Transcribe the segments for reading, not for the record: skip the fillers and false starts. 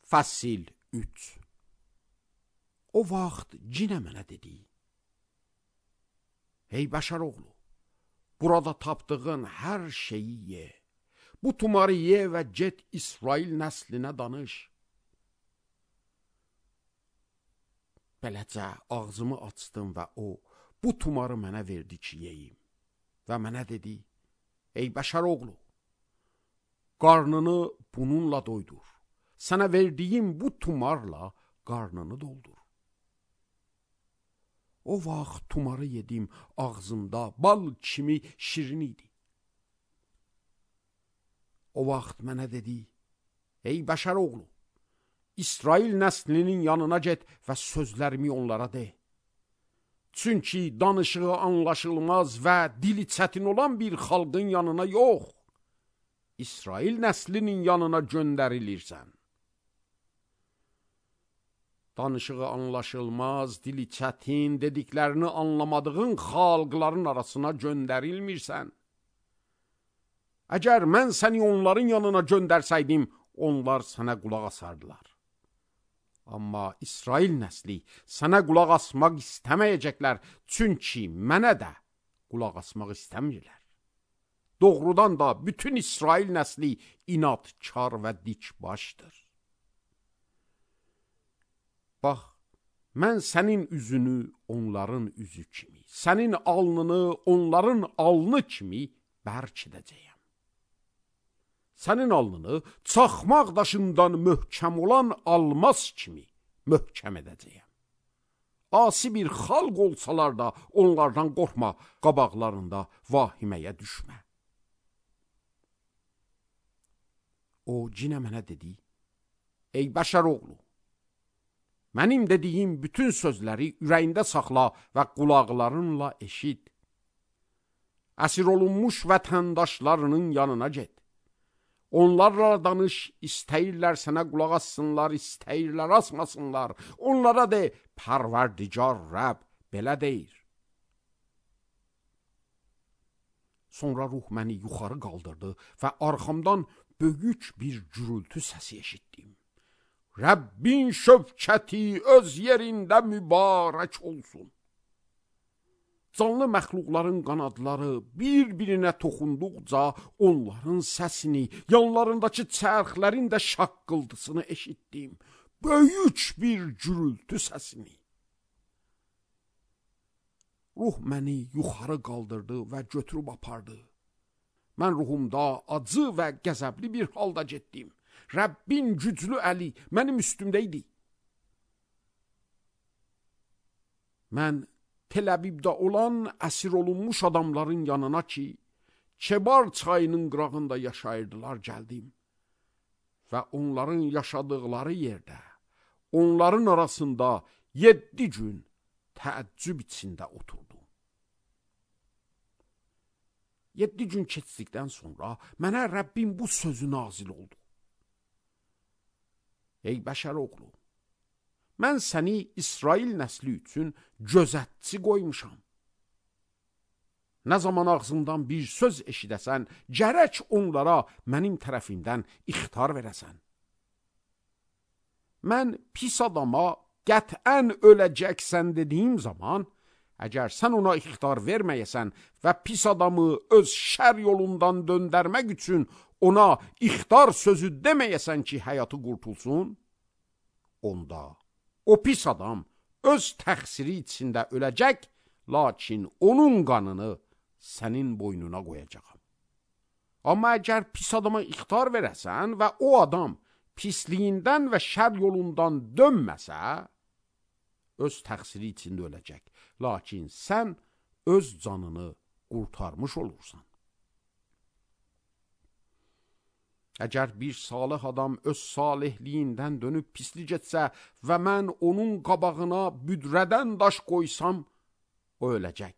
Fəsil 3. O vaxt cinə mənə dedi: Ey bəşər oğlu, burada tapdığın hər şeyi ye. Bu tumarı ye və get İsrail nəslinə danış. Beləcə ağzımı açdım və o bu tumarı mənə verdi ki yeyim. Və mənə dedi: Ey bəşər oğlu, qarnını bununla doydur. Sənə verdiyim bu tumarla qarnını doldur. O vaxt tumarı yedim, ağzımda bal kimi şirin idi. O vaxt mənə dedi: Ey bəşər oğlu, İsrail nəslinin yanına get və sözlərimi onlara de. Çünki danışığı anlaşılmaz və dili çətin olan bir xalqın yanına yox, İsrail nəslinin yanına göndərilirsən. Danışığı anlaşılmaz, dili çətin, dediklərini anlamadığın xalqların arasına göndərilmirsən. Əgər mən səni onların yanına göndərsəydim, onlar sənə qulaq asardılar. Amma İsrail nəsli sənə qulaq asmaq istəməyəcəklər, çünki mənə də qulaq asmaq istəmirlər. Doğrudan da bütün İsrail nəsli inadkar və dikbaşdır. Bax, mən sənin üzünü onların üzü kimi, sənin alnını onların alnı kimi bərk edəcəyəm. Sənin alnını çaxmaq daşından möhkəm olan almaz kimi möhkəm edəcəyəm. Asi bir xalq olsalar da onlardan qorxma, qabaqlarında vahiməyə düşmə. O cinə mənə dedi: Ey bəşər oğlu, mənim dediyim bütün sözləri ürəyində saxla və qulaqlarınla eşit. Əsir olunmuş vətəndaşlarının yanına get. Onlarla danış, istəyirlər sənə qulaq assınlar, istəyirlər asmasınlar. Onlara de, Pərverdigar Rəbb belə deyir. Sonra ruh məni yuxarı qaldırdı və arxamdan böyük bir gürültü səsi eşitdim. Rəbbin şövkəti öz yerində mübarək olsun. Canlı məxluqların qanadları bir-birinə toxunduqca onların səsini, yanlarındakı çərxlərin də şaqqıldısını eşitdim. Böyük bir gürültü səsini. Ruh məni yuxarı qaldırdı və götürüb apardı. Mən ruhumda acı və qəzəbli bir halda getdim. Rəbbin güclü əli mənim üstümdə idi. Mən Tel-Əbibdə olan əsir olunmuş adamların yanına ki, Kebar çayının qırağında yaşayırdılar, gəldim. Və onların yaşadıqları yerdə, onların arasında 7 gün təəccüb içində oturdum. 7 gün keçdikdən sonra mənə Rəbbim bu sözü nazil oldu. Ey bəşər oğlu, mən səni İsrail nəsli üçün gözətçi qoymuşam. Nə zaman ağzımdan bir söz eşidəsən, gərək onlara mənim tərəfimdən ixtar verəsən. Mən pis adama qətən öləcəksən dediyim zaman, əgər sən ona ixtar verməyəsən və pis adamı öz şər yolundan döndərmək üçün ona ixtar sözü deməyəsən ki, həyatı qurtulsun, onda o pis adam öz təqsiri içində öləcək, lakin onun qanını sənin boynuna qoyacaqam. Amma əgər pis adama ixtar verəsən və o adam pisliyindən və şər yolundan dönməsə, öz təqsiri içində öləcək, lakin sən öz canını qurtarmış olursan. Əgər bir salih adam öz salihliyindən dönüb pislik etsə və mən onun qabağına büdrədən daş qoysam, o öləcək.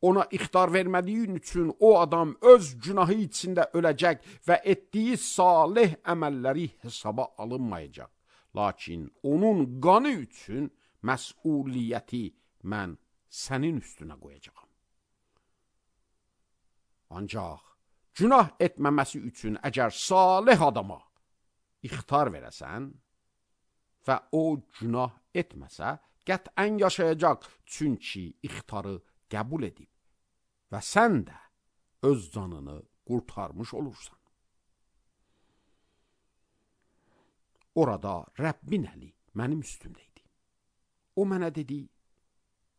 Ona ixtar vermədiyin üçün o adam öz günahı içində öləcək və etdiyi salih əməlləri hesaba alınmayacaq. Lakin onun qanı üçün məsuliyyəti mən sənin üstünə qoyacağam. Ancaq günah etməməsi üçün əgər salih adama ixtar verəsən və o günah etməsə, qətlən yaşayacaq, çünki ixtarı qəbul edib və sən də öz canını qurtarmış olursan. Orada Rəbbin əli mənim üstümdə idi. O mənə dedi,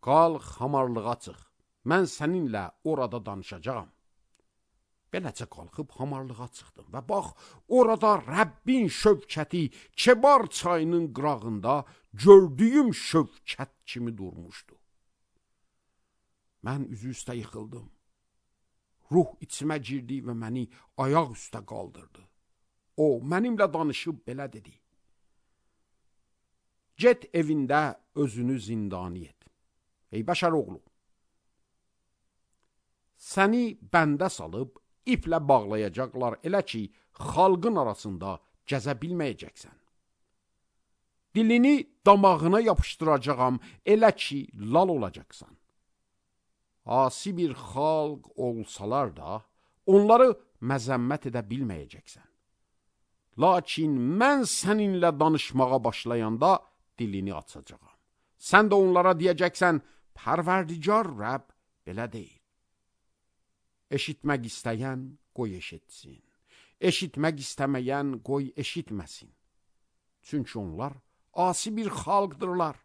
qalx hamarlığa çıx, mən səninlə orada danışacağam. Beləcə qalxıb hamarlığa çıxdım və bax, orada Rəbbin şövkəti Kebar çayının qırağında gördüyüm şövkət kimi durmuşdu. Mən üzü üstə yıxıldım. Ruh içimə girdi və məni ayaq üstə qaldırdı. O, mənimlə danışıb belə dedi. Get evində özünü zindani et. Ey bəşər oğlu, səni bəndə salıb iplə bağlayacaqlar, elə ki, xalqın arasında gəzə bilməyəcəksən. Dilini damağına yapışdıracağam, elə ki, lal olacaqsan. Asi bir xalq olsalar da, onları məzəmmət edə bilməyəcəksən. Lakin mən səninlə danışmağa başlayanda dilini açacağam. Sən də onlara deyəcəksən, Pərverdigar Rəbb belə deyil. Eşitmək istəyən qoy eşitsin. Eşitmək istəməyən qoy eşitməsin. Çünki onlar asi bir xalqdırlar.